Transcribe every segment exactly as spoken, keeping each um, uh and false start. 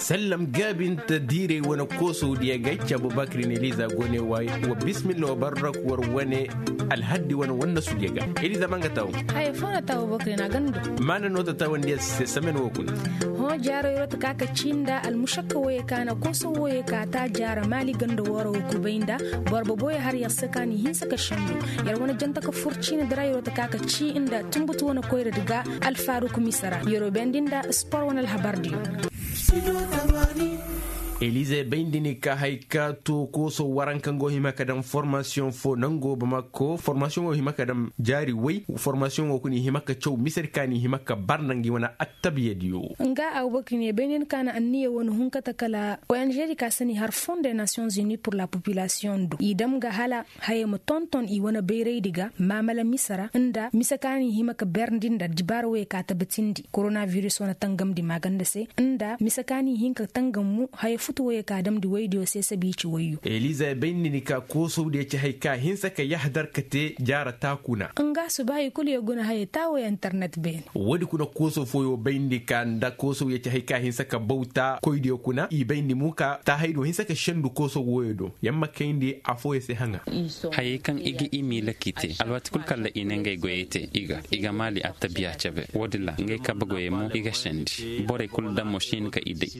Sallam gaabinta diiray wane koosowdiya ga ay ci abubakar ne liza go ne wa bismillah wa barrak war wane alhaddi wane wannasudiya ga. Eliza ma nga taawo. Haya foo na taawo abubakar ne a ganda. Maana no ta taawandiya se samen wo kuna. Hõ jaaro yeroo ta ka ka cii nda almušakka wooyey ka na koosow wooyey ka ta jaara maali ganda wooro wo kubay nda boro boboyey har yer se ka ni hinsa ka sendu. Yer wane janta ka fur ciini di ra yeroo ta ka ka cii nda tunbutu wane koyradi ga alfaruk misara. Yeroo bayndi nda spor wane alhabardiyo. Elize bayndi ni ka hay ka to kooso waranka nga wo hima ka daŋ formasiyoŋ fo nango bamako formasiyoŋ wo hima ka daŋ jaari way. Formasiyoŋ wo kuna i hima ka caw misedi ka ni hima ka bar nda ngi wane attabiyadiyo. Nga abubakar ne bayndi ni ka na anniya wane hun kate kala ong di ka se ni har fond de nations unies pour la population do i dam ga hala haya ma tonton i wane bayraydi ga maamala mise ra nda mise ka ni hima ka berndi nda dibaara woyey ka tabbatindi koronabiris wane tangamdi maaganda se nda mise ka ni hin ka tangammu haya futu woyey ka damndi woydiyo se sabiici woyyo. Eliza bayndi ni ka koosowdiyo ci hay ka hinsa ka yahdar ka te jaara taakuna. Nga subaahi kulu yer guna haya taawo internet beene. Woodi kuna koosow fooyo bayndi ka nda koosow ya ci hay ka hinsa ka bawta koydiyo kuna i bayndi mo ka taahaydiyo hinsa ka sendu koosow wooyo do. Yamma kayndi afooyo se haŋa. Hayey kaŋ i ga i miila k'i te alwaati kul kalla i ne ngey goyey te i ga i ga maali attabiya cebe woodin ra ngey kabe goyey mo i ga sendi borey kul daŋ mo si hin ka i day.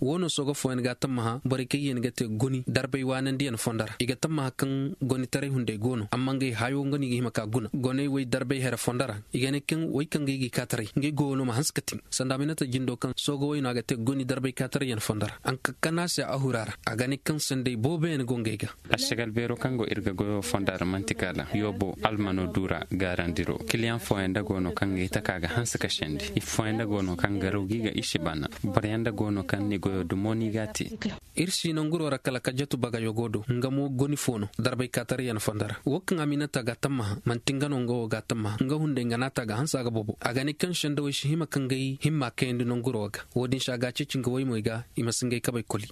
Woo no sooga fooyaŋ ga a tammaha borey kaŋ yen ga te goni darbay waanandiyaŋ fondo ra i ga tammaha kaŋ gonitaray hunday go no amma ngey hayo nga no i ga hima ka guna goney wey darbay here fondo ra. I ga ne kaŋ wey kaŋ ga i ga i kaataray ngey goyo no ma hanse ka tin sanda a ma ne ta jindo kaŋ sooga wey no a ga te goni darbay kaataray yaŋ fondo ra a ga ka kana se a hura ra a ga ne kaŋ sanday booboyaŋ go ngey ga. Ašagal beero kaŋ go ir ga goyo fondo ra man'ti kala yoobo almano duura gaarandiro kiliyaŋ fooyaŋ nda go no kaŋ ga i taka ga hanse ka sendi i fooyaŋ nda go no kaŋ garaw ga i ga i si bana. Boroyaŋ nda go no kaŋ ni goyo dumo no i g'a te. Ir si nanguro ra kala ka jatu bagayogo do nga mo goni fo no darbay kaataray yaŋ fondo ra wo kaŋ aminata ga a tammaha man'ti nga no nga wo ga a tammaha nga hunday nga n'a ta ga hanse a ga bobo a ga ne kaŋ sendawey si hima ka ngey himma kayandi nanguro ga. Wo-din se a ga a ceeci nga woymey ga i ma si ngey kabey koli.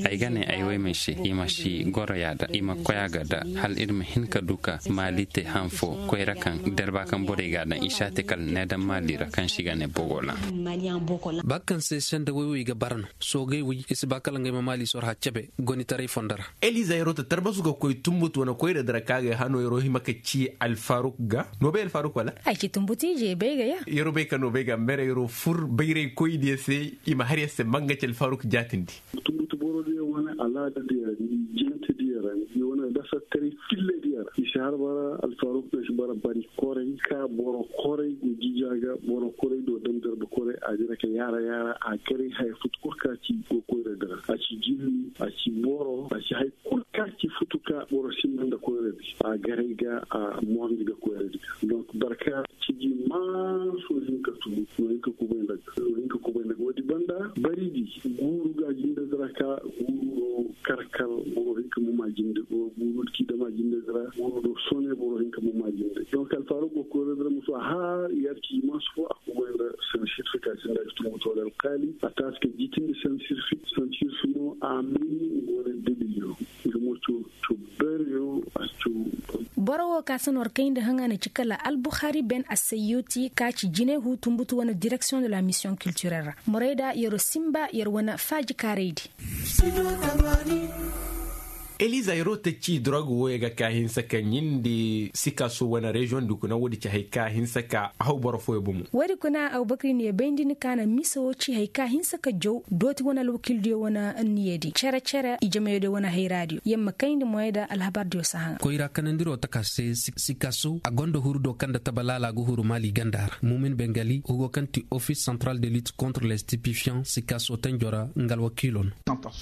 Ay ga ne ay woymey se i ma si goro yaada i ma koy a ga da hala ir ma hin ka du ka maali te han fo koyra kaŋ derba kaŋ borey ga a daŋ i si a te kala needaŋ maali ra kaŋ se i ga ne bogola. Ba kaŋ se sendawey wo i ga bara no soogey wey i si ba kala ngey ma maali sorha cebe gonitaray fondo ra. Eliza yeroo ta tarbasu ga koy tunbutu wane koyra dira kaŋ a ga ay hano yeroo hima ka ci alfaruk ga no bay alfaruk wala? Ay ci tunbutu ije bay ga ya. Yeroo bay ka no bay ga mere yeroo fur bayray koy diya se i ma har ya se manga ci alfaruk jaatindi. Tunbutu boro diya wane alaada diya jente diya ra ni wane dasa taray fille diya ra i si har bara alfaruk no si bara bari koray ka boro koray go jija ga boro koray do dam darba koray a dira ka yaara yaara a garay haya futu kul ka ci go koyra dira a ci jinni a ci boro a ci hay kul ka ci futu ka boro sinda nda koyra di a garay ga a moorndi ga koyra di ga donc barka ciji maasu hinka tubu no hinka kubay nda ga no hinka kubay nda ga wo-di banda bari di guuru ga jinde dira ka guuru no kar kar boro hinka ma ma jinde guuru do k'i dama jinde dira guuru do sone boro hinka ma ma jinde donc alfaaruk go koyra dira musu a har yar ciji maasu fo a kubay nda sanda certification nda ga tunbutu wala alkaali a taasi ka jitindi sanda certification mo a mini nga wane dalil no nga mo co co bere yo a co. Boro wo ka se no war kayndi haŋa na ci kala albuhari ben assayyuti ka ci jine hu tunbutu wane direction de la mission culturelle ra morayda yero simba yer wane faaji kaaraydi. Eliza yeroo ta ci drog wooyo ga ka hinsa ka ɲindi sikaso wane reziyoŋ di kuna woodi ci hay ka hinsa ka a haw boro fooyo bomo. Woodi kuna abubakar ne bayndi ni ka na mise woo ci hay ka hinsa ka jaw dooti wane alwakildiyo wane anniyadi cere cere i jameyadiyo wane hayraadiyo yer ma kayndi moyey da alhabardiyo si haŋa. Koyra kanandiro taka se sikaso a gonda huru do kaŋ nda taba laala ga huru maali ganda ra muumin bengali hugo kaŋ ti office central de lutte contre les stipifiants sikaso tanjo ra nga alwakiilo no.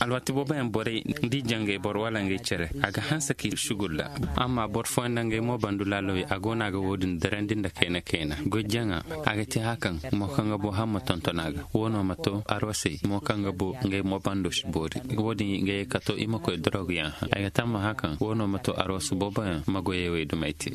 Alwaati booboyaŋ borey nda i jangay boro wala ngey cere a ga hanse k'i sugulla. Amma boro fooyaŋ nda ngey mo bandu laalawey a go no a ga woodin darandi nda kayna kayna goy jaŋa a ga te hakaŋ mo kaŋ ga bo hamma tonton a ga wo no ma to arwasey mo kaŋ ga bo ngey mo bando si boori. Woodin ga ye ka to i ma koy doroguyaŋ haŋ ay ga tamma hakaŋ wo no ma to arwasu booboyaŋ ma goyey wey dumey te.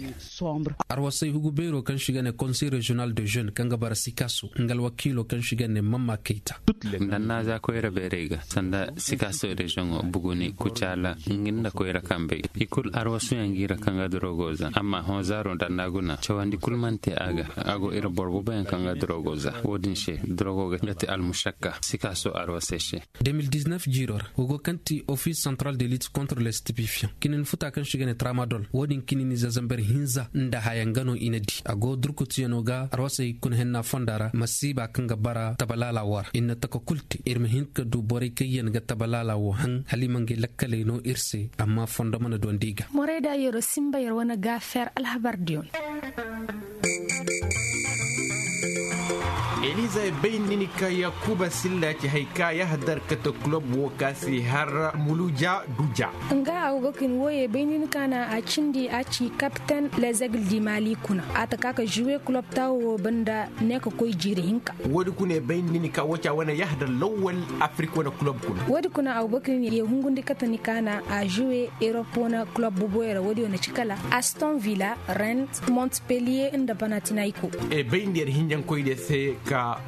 Arwasey hugu beero kaŋ se i ga ne konsey reziyonal de jeune kaŋ ga bara sikaso nga alwakiilo kaŋ se i ga ne mamma kayta. Nda naaza koyra beerey ga sanda sikaso reziyoŋo buguni kucaala. Ngi nda koyra kambey i kul arwasuyaŋ ngi ra kaŋ ga dorogo za amma hõ zaaro nda annaa guna cawandi kul mana te a ga. A go ir boro boboyaŋ kaŋ ga dorogo za wo-din se dorogo ga ti almušakka sikaaso arwasey se. De mil diznef jiiro ra, wo go kaŋ ti ofis santral de lit kontra le stipifiyaŋ kinin futa kaŋ se i ga ne tramadol wo-din kinin ize zamber hinza nda haya nga no i na di a go durkutiyano ga arwasey kuna henna fonda ra masiiba kaŋ ga bara tabalaala wo ra i na taka kul te ir ma hin ka du borey kaŋ yaŋ ga tabalaala wo haŋ hala i ma ngey lakkaley no ir se. Amma fondo mana dondi i ga. Morey da yero simba yer wane gaafer alhabar diyon. Eliza e bay nini ka yakuba silla ci hay ka yahadar kate kulob wo ka si har muluja duja. Nga abubakar wo ye bay nini ka na a cindi a ci kapten lezegil di mali kuna a ta ka ka juwe kulob tawo wo banda ne ka koy jiiri hinka. Wo- di kuna e bay nini ka wo ci a wane yahadar lawwal afrik wane kulob kuna. Wo- di kuna abubakar ye hungundi kate ni ka na a juwe erop wane kulob buboyra wo- di wane ci kala aston villa, rennes, montpellier nda panatinayko. E bay nda yer hinjankoy de se ka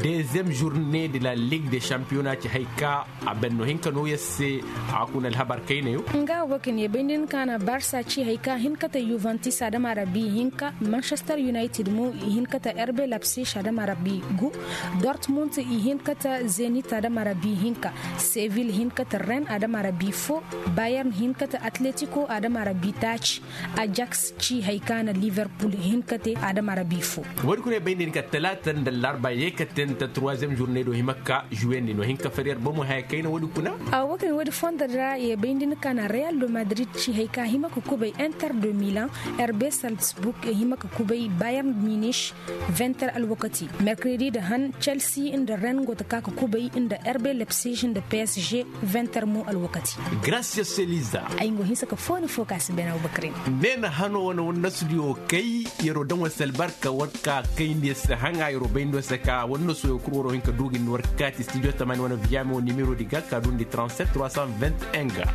dezem journée de la ligue de championnat ci hay ka a benno hinka no yer se. A kuna alhabar kaynayo. Nga wo ka ne bay nda ni ka na barsa ci hay ka hin kate juventus adama ra bi hinka manchester united mo i hin kate herbe lapsich adama ra bi gu, dortmund i hin kate zenit adama ra bi hinka, seville hin kate rennes adama ra bi fo, bayern hin kate atletico adama ra bi taaci, ajax ci hay ka na liverpool hin kate adama ra bi fo. Wo- di kuna e bay nda ni ka talaata nda larba ye ka te nda troisième journée do hima ka juwendi no hin ka fari yer bomo haya kayna wo- di kuna. Abubakar wo- di fondo ra ye bay nda ni ka na real de madrid ci hay ka hima ka kubay inter de milan, herbe salzburg ye hima ka kubay bayern munich, vingt heures alwakati mercredi nda han chelsea nda rennes go ta ka ka kubay nda herbe lapsich nda psg, vingt heures mo alwakati. Gracias eliza. Ay ngo hinsa ka fooni fo ka si bena abubakar. Ne na hano wane wane nasu diyo kay yero daŋ wane si albarka war ka kayndi se haŋa yero bayndi se ka wane nasu yo kul waro hin ka duugin war ka kaati studio tamani wane viyame wo nimero di ga ka duundi trente-sept trois cent vingt-et-un ga.